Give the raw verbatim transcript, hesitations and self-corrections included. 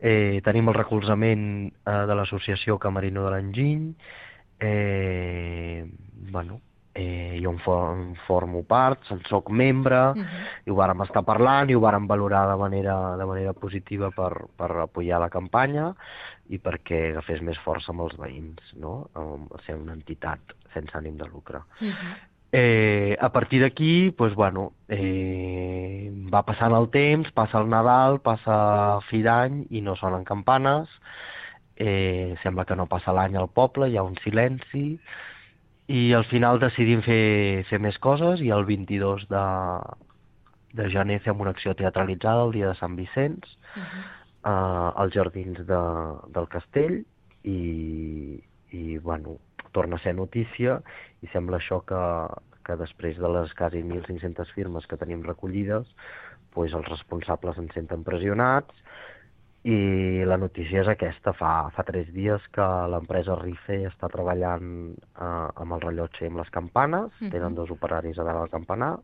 Eh, tenim el recolzament eh, de l'associació Camerino de l'Enginy. Eh, bueno, eh, jo en, for en formo part, se'n soc membre, Mhm. i ho vàrem estar parlant i ho vàrem valorar de manera, de manera positiva per, per apoyar la campanya i perquè agafés més força amb els veïns, no? Um, ser una entitat sense ànim de lucre. Mhm. Eh, a partir d'aquí, doncs, bueno, eh, va passant el temps, passa el Nadal, passa fi d'any i no sonen campanes, eh, sembla que no passa l'any al poble, hi ha un silenci, i al final decidim fer, fer més coses i el vint-i-dos de, de gener fem una acció teatralitzada el dia de Sant Vicenç, Mhm. eh, als jardins de, del castell, i, i bueno, torna a ser notícia i sembla això que, que després de les quasi mil cinc-centes firmes que tenim recollides, pues els responsables ens senten pressionats i la notícia és aquesta. Fa, fa tres dies que l'empresa Rife està treballant eh, amb el rellotge i amb les campanes, tenen Mhm. dos operaris a dalt del campanar,